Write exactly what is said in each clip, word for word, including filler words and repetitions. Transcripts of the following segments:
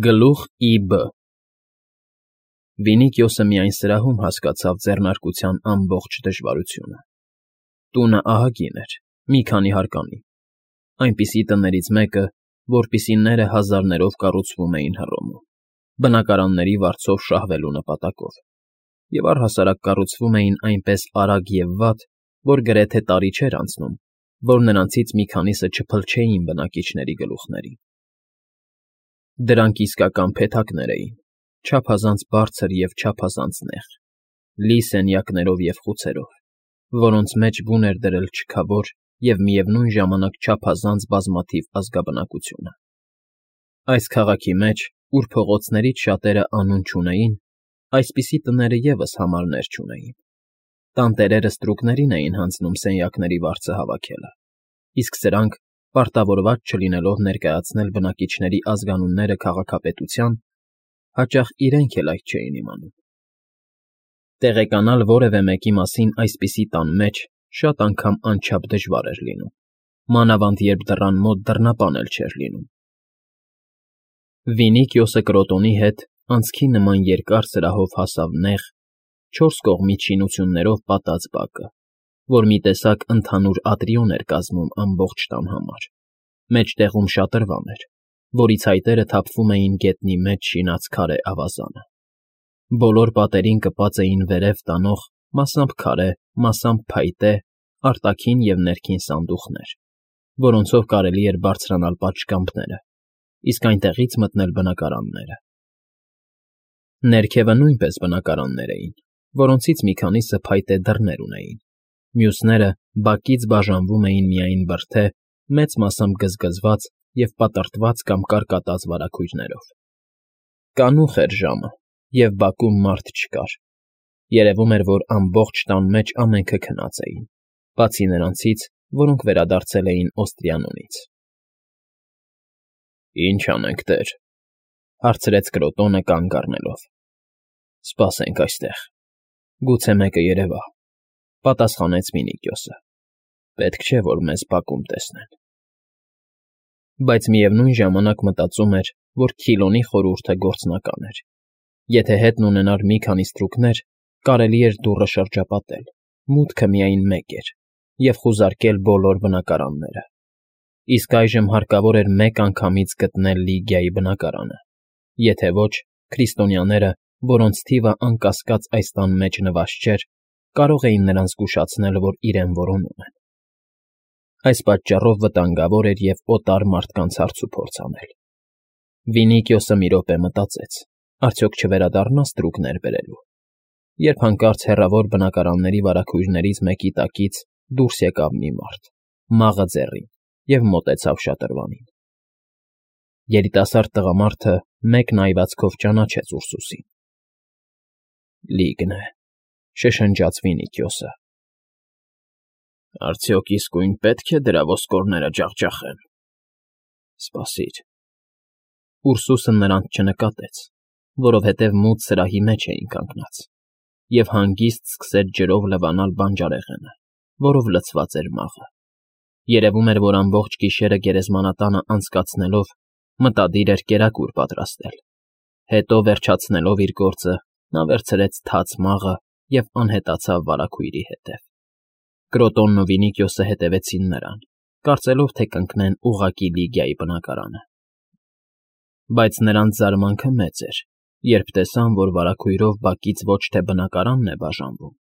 Գլուխ Ի Բ Վինիքիոսը միայն սրահում հասկացավ ձեռնարկության ամբողջ դժվարությունը. տունը ահագին էր, մի քանի հարկանի, այնպիսի տներից մեկը, որպիսիները հազարներով կառուցվում էին Հռոմում, բնակարանների վարձով շահվելու նպատակով, և առհասարակ կառուցվում էին այնպես արագ և վատ, որ գրեթե տարի չէր անցնում, որ նրանցից մի քանիսը չփլչեին բնակիչների գլուխներին։ Դրանք իսկական փեթակներ էին, չափազանց բարձր և չափազանց նեղ, լի սենյակներով և խուցերով, որոնց մեջ բուն էր դրել չքավոր և միևնույն ժամանակ չափազանց բազմաթիվ ազգաբնակությունը։ Այս քաղաքի մեջ, ուր փողոցներից շատերը անուն չունեին, այսպիսի տները ևս համարներ չունեին. տանտերերը ստրուկներին էին հանձնում սենյակների վարձը հավաքելը, իսկ սրանք, պարտավորված չլինելով ներկայացնել բնակիչների ազգանունները քաղաքապետության, հաճախ իրենք էլ այդ չէին իմանում։ Տեղեկանալ որևէ մեկի մասին այսպիսի տան մեջ շատ անգամ անչափ դժվար էր լինում, մանավանդ երբ դռան մոտ դռնապան էլ չէր լինում։ Վինիքիոսը Կրոտոնի հետ անցքի նման երկար սրահով հասավ նեղ, չորս կողմից շինություններով պատած բակը, որ մի տեսակ ընդհանուր ատրիոն էր կազմում ամբողջ տան համար, մեջտեղում շատրվան էր, որի ցայտերը թափվում էին գետնի մեջ շինած քարե ավազանը։ Բոլոր պատերին կպած էին վերև տանող մասամբ քարե, մասամբ փայտե, արտաքին և ներքին սանդուղքներ, որոնցով կարելի էր բարձրանալ պատշգամբները, իսկ այնտեղից մտնել բնակարանները։ Ներքևը նույնպես բնակարաններ էին, որոնցից մի քանիսը փայտե դռներ ունեին, մյուսները բակից բաժանվում էին միայն բրդե, մեծ մասամբ գզգզված և պատռտված կամ կարկատած վարագույրներով։ Կանուխ էր ժամը, և բակում մարդ չկար, երևում էր, որ ամբողջ տան մեջ ամենքը քնած էին, բացի նրանցից, որոնք վերադարձել էին Օստրիանոնից։ ֊ Ի՞նչ անենք, տեր,֊ հարցրեց Կրոտոնը կանգ առնելով։ ֊ Սպասենք այստեղ, գուցե մեկը երևա,֊ պատասխանեց Վինիքիոսը։ Պետք չէ, որ մեզ բակում տեսնեն։ Բայց միևնույն ժամանակ մտածում էր, որ Քիլոնի խորհուրդը գործնական էր. եթե հետն ունենար մի քանի ստրուկներ, կարելի էր դուռը շրջապատել, մուտքը միայն մեկ էր, և խուզարկել բոլոր բնակարանները, իսկ այժմ հարկավոր էր մեկ անգամից գտնել Լիգիայի բնակարանը, եթե ոչ, քրիստոնյաները, որոնց թիվը անկասկած այս տան մեջ նվազ չէր, կարող էին նրանց զգուշացնել, որ իրեն որոնում են։ Այս պատճառով վտանգավոր էր և օտար մարդկանց հարցուփորձ անել։ Վինիքիոսը մի րոպե մտածեց. արդյոք չվերադառնա ստրուկներ բերելու, երբ հանկարծ հեռավոր բնակարանների վարագույրներից մեկի տակից դուրս եկավ մի մարդ, մաղը ձեռին, և մոտեցավ շատրվանին։ Երիտասարդ տղամարդը մեկ նայվածքով ճանաչեց Ուրսուսին։ Լիգն է,֊ շշնջաց Վինիքիոսը։ Արդյոք իսկույն պետք է դրա ոսկորները ջախջախեմ։ Սպասիր։ Ուրսուսը նրանց չնկատեց, որովհետև մութ սրահի մեջ էին կանգնած, և հանգիստ սկսեց ջրով լվանալ բանջարեղենը, որով լցված էր մաղը։ Երևում էր, որ ամբողջ գիշերը գերեզմանատանը անցկացնելով մտադիր էր կերակուր պատրաստել։ Հետո, վերջացնելով իր գործը, նա վերցրեց թաց մաղը և անհետացավ վարագույրի հետև։ Կրոտոնն ու Վինիքիոսը հետևեցին նրան, կարծելով, թե կընկնեն ուղղակի Լիգիայի բնակարանը։ Բայց նրանց զարմանքը մեծ էր, երբ տեսան, որ վարագույրով բակից ոչ թե բնակարանն է բաժանվում,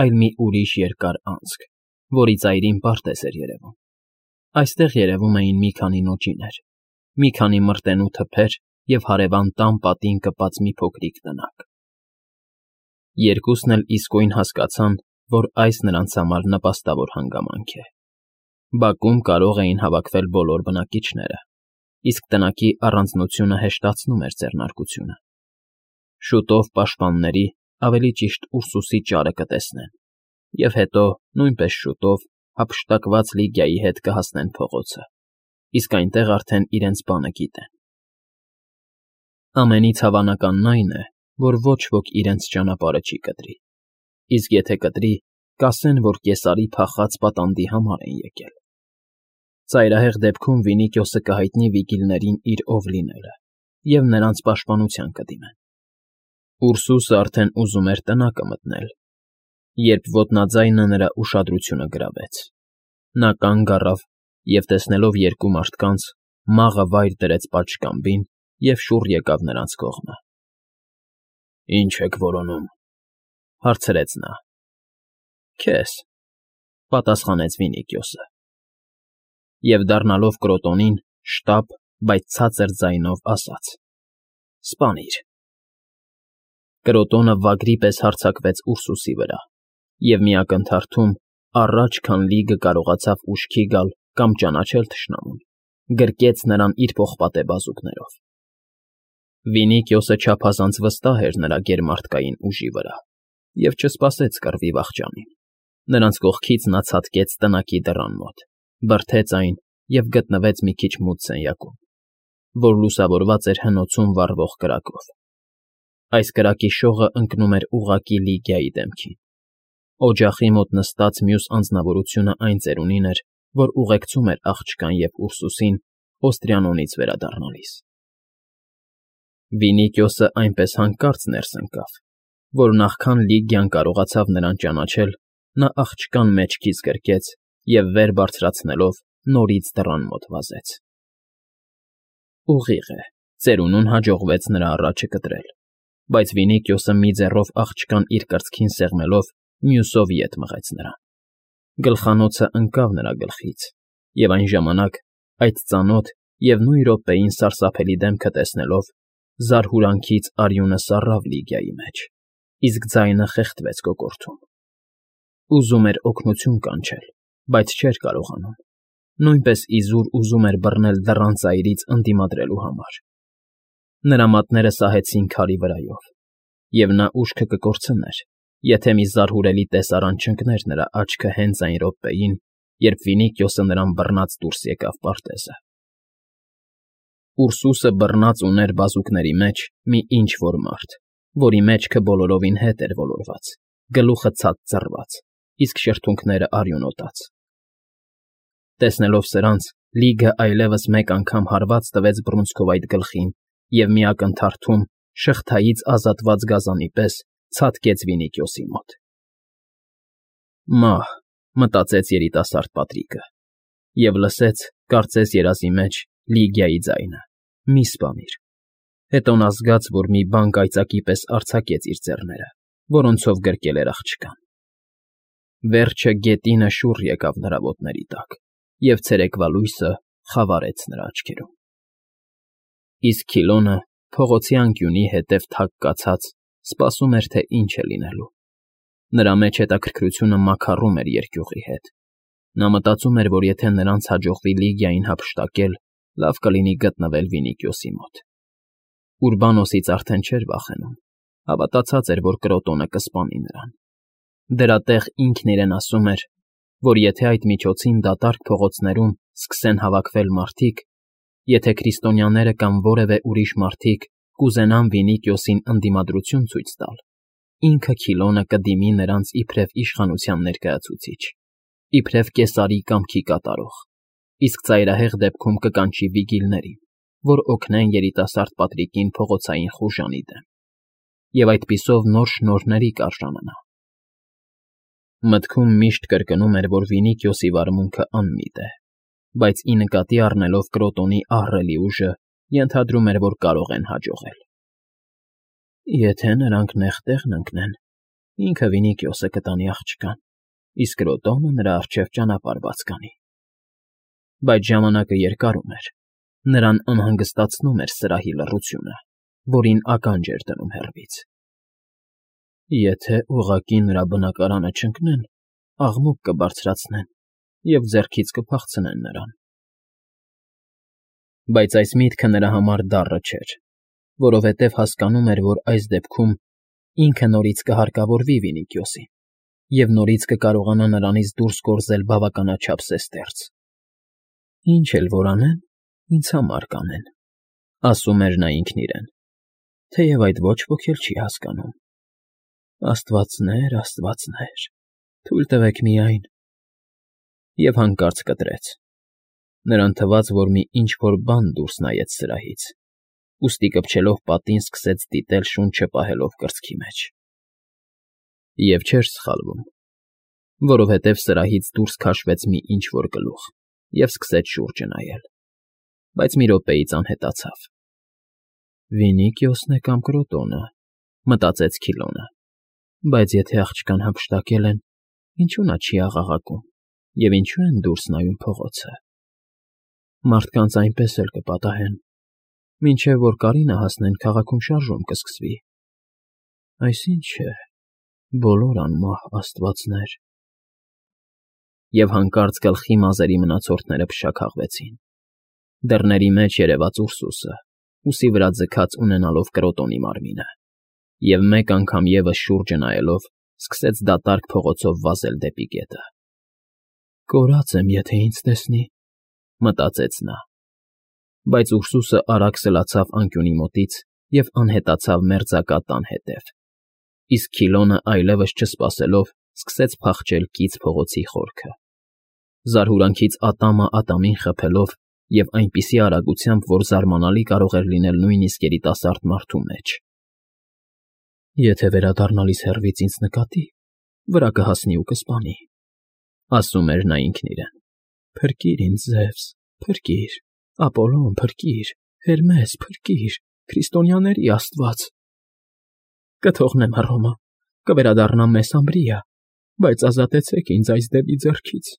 այլ մի ուրիշ երկար անցք, որի ծայրին պարտեզ էր երևում։ Այստեղ երևում էին մի քանի նոճիներ, մի քանի մրտենու թփեր և հարևան տան պատին կպած մի փոքրիկ տնակ։ Երկուսն էլ իսկույն հասկացան, որ այս նրանց համար նպաստավոր հանգամանք է։ Բակում կարող էին հավաքվել բոլոր բնակիչները, իսկ տնակի առանձնությունը հեշտացնում էր ձեռնարկությունը։ Շուտով պաշտպանների, ավելի ճիշտ Ուրսուսի ճարը կտեսնեն, և հետո, նույնպես շուտով, հափշտակված Լիգիայի հետ կհասնեն փողոցը, իսկ այնտեղ արդեն իրենց բանը գիտեն։ Ամենից հավանականն այն է, որ ոչ ոք իրենց ճանապարհը չի կտրի, իսկ եթե կտրի, կասեն, որ կեսարի փախած պատանդի համար են եկել։ Ծայրահեղ դեպքում Վինիքիոսը կհայտնի վիգիլներին իր ով լինելը, և նրանց պաշտպանության կդիմեն։ Ուրսուսը արդեն ուզում էր տնակը մտնել, երբ ոտնաձայնը նրա ուշադրությունը գրավեց։ Նա կանգ առավ և, տեսնելով երկու մարդկանց, մաղը վայր դրեց պատշգամբին և շուռ եկավ նրանց կողմը։ ֊ Ի՞նչ եք որոնում,֊ հարցրեց նա։ ֊ Քեզ,֊ պատասխանեց Վինիքիոսը։ Եվ, դառնալով Կրոտոնին, շտապ, բայց ցածր ձայնով ասաց. «Սպանիր»։ Կրոտոնը վագրի պես հարձակվեց Ուրսուսի վրա և մի ակնթարթում, առաջ, քան լիգը կարողացավ ուշքի գալ կամ ճանաչել թշնամուն, գրկեց նրան իր պողպատե բազուկներով։ Վինիքիոսը չափազանց վստահ էր նրա գերմարդկային ուժի վրա և չսպասեց կռվի վախճանին։ Նրանց կողքից նա ցատկեց տնակի դռան մոտ, բրդեց այն և գտնվեց մի քիչ մութ սենյակում, որ լուսավորված էր հնոցում վառվող կրակով։ Այս կրակի շողը ընկնում էր ուղղակի Լիգիայի դեմքին։ Օջախի մոտ նստած մյուս անձնավորությունը այն ծերունին էր, որ ուղեկցում էր աղջկան և Ուրսուսին Օստրիանոնից վերադառնալիս։ Վինիքիոսը այնպես հանկարծ ներս ընկավ, որ նախքան Լիգիան կարողացավ նրան ճանաչել, նա աղջկան մեջքից գրկեց և, վեր բարձրացնելով, նորից դռան մոտ վազեց։ Ուղիղ է, ծերունուն հաջողվեց նրա առաջը կտրել, բայց Վինիքիոսը մի ձեռով աղջկան իր կրծքին սեղմելով, մյուսով ետ մղեց նրան։ Գլխանոցը ընկավ նրա գլխից, և այն ժամանակ, այդ ծանոթ և նույն րոպեին սարսափելի դեմքը տեսնելով, զարհուրանքից արյունը սառավ Լիգիայի մեջ, իսկ ձայնը խեղդվեց կոկորդում։ Ուզում էր օգնություն կանչել, բայց չէր կարողանում, նույնպես իզուր ուզում էր բռնել դռան ծայրից ընդդիմադրելու համար։ Նրա մատները սահեցին քարի վրայով, և նա ուշքը կկորցներ, եթե մի զարհուրելի տեսարան չընկներ նրա աչքը հենց այն րոպեին, երբ Վինիքիոսը նրան բռնած դուրս եկավ պարտեզը։ Ուրսուսը բռնած ուներ բազուկների մեջ մի ինչ֊որ մարդ, որի մեջքը բոլորովին հետ էր ոլորված, գլուխը ցած ծռված, իսկ շրթունքները արյունոտած։ Տեսնելով սրանց, Լիգը այլևս մեկ անգամ հարված տվեց բռունցքով այդ գլխին և մի ակնթարթում, շղթայից ազատված գազանի պես, ցատկեց Վինիքիոսի մոտ։ «Մահ», մտածեց երիտասարդ Պատրիկը և լսեց, կարծես երազի մեջ, Լիգիայի ձայնը. «Մի սպանիր»։ Հետո նա զգաց, որ մի բան կայծակի պես արձակեց իր ձեռները, որոնցով գրկել էր աղջկան։ Վերջը գետինը շուռ եկավ նրա ոտների տակ, և ցերեկվա լույսը խավարեց նրա աչքերում։ Իսկ Քիլոնը, փողոցի անկյունի հետև թակ կացած, սպասում էր, թե ինչ է լինելու։ Նրա մեջ հետաքրքրությունը մաքարում էր երկյուղի հետ։ Նա մտածում էր, որ եթե նրանց հաջողվի Լիգիային հափշտակել, լավ կլինի գտնվել Վինիքիոսի մոտ։ Ուրբանոսից արդեն չէր վախենում, հավատացած էր, որ Կրոտոնը կսպանի նրան։ Դրա տեղ ինքն իրեն ասում էր, որ եթե այդ միջոցին դատարկ փողոցներում սկսեն հավաքվել մարդիկ, եթե քրիստոնյաները կամ որևէ ուրիշ մարդիկ կուզենան Վինիքիոսին ընդդիմադրություն ցույց տալ, ինքը Քիլոնը կդիմի նրանց իբրև իշխանության ներկայացուցիչ, իբրև կեսարի կամքի կատարող, իսկ ծայրահեղ դեպքում կկանչի վիգիլներին, որ օգնեն երիտասարդ Պատրիկին փողոցային խուժանի դեմ, և այդպիսով նոր շնորհների կարժանանա։ Մտքում միշտ կրկնում էր, որ Վինիքիոսի վարմունքը անմիտ է, բայց ի նկատի առնելով Կրոտոնի ահռելի ուժը, ենթադրում էր, որ կարող են հաջողել։ Եթե նրանք նեղ տեղն ընկնեն, ինքը Վինիքիոսը կտանի աղջկան, իսկ Կրոտոնը նրա առջև ճանապարհ բաց կանի։ Բայց ժամանակը երկարում էր, նրան անհանգստացնում էր սրահի լռությունը, որին ականջ էր դնում հեռվից։ Եթե ուղղակի նրա բնակարանը չընկնեն, աղմուկ կբարձրացնեն և ձեռքից կփախցնեն նրան։ Բայց այս միտքը նրա համար դառը չէր, որովհետև հասկանում էր, որ այս դեպքում ինքը նորից կհարկավորվի Վինիքիոսին և նորից կկարողանա նրանից դուրս գործել բավականաչափ զեստերծ։ «Ինչ էլ որ անեն, ինձ համար կանեն», ասում էր նա ինքն իրեն, թեև այդ ոչ ոք էլ չի հասկանում։ Աստվածներ, աստվածներ, թույլ տվեք միայն… Եվ հանկարծ կտրեց։ Նրան թվաց, որ մի ինչ֊որ բան դուրս նայեց սրահից, ուստի կպչելով պատին սկսեց դիտել շունչը պահելով կրծքի մեջ։ Եվ չէր սխալվում, որովհետև սրահից դուրս քաշվեց մի ինչ֊որ գլուխ և սկսեց շուրջը նայել, բայց մի րոպեից անհետացավ։ «Վինի֊Կիոսն է կամ Կրոտոնը,֊ մտածեց Քիլոնը,֊ բայց եթե աղջկան հափշտակել են, ինչու նա չի աղաղակում և ինչու են դուրս նայում փողոցը։ Մարդկանց այնպես էլ կպատահեն, մինչև որ Կարինը հասնեն, քաղաքում շարժում կսկսվի։ Այս ի՞նչ է, բոլոր անմահ աստվածներ…» Եվ հանկարծ գլխի մազերի մնացորդները փշաքաղվեցին։ Դռների մեջ երևաց Ուրսուսը, ուսի վրա ձգած ունենալով Կրոտոնի մարմինը, և մեկ անգամ ևս շուրջը նայելով սկսեց դատարկ փողոցով վազել դեպի գետը։ «Կորած եմ, եթե ինձ տեսնի,֊ մտածեց նա։ Բայց Ուրսուսը արագ սլացավ անկյունի մոտից և անհետացավ մերձակա տան հետև, իսկ Քիլոնը այլևս չսպասելով սկսեց փախչել կից փողոցի խորքը, զարհուրանքից ատամը ատամին խփելով և այնպիսի արագությամբ, որ զարմանալի կարող էր լինել նույնիսկ երիտասարդ մարդու մեջ։ «Եթե վերադառնալիս հեռվից ինձ նկատի, վրա կհասնի ու կսպանի,֊ ասում էր նա ինքն իրեն,֊ Փրկիր ինձ, Զևս, փրկիր, Ապոլոն, փրկիր, Հերմես, փրկիր, քրիստոնյաների աստված… Կթողնեմ Հռոմը, կվերադառնամ Մեսամբրիա, բայց ազատեցեք ինձ այս դևի ձեռքից…»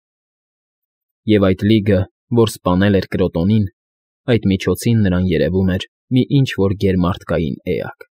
Եվ այդ լիգը, որ սպանել էր Կրոտոնին, այդ միջոցին նրան երևում էր մի ինչ֊որ գերմարդկային էակ։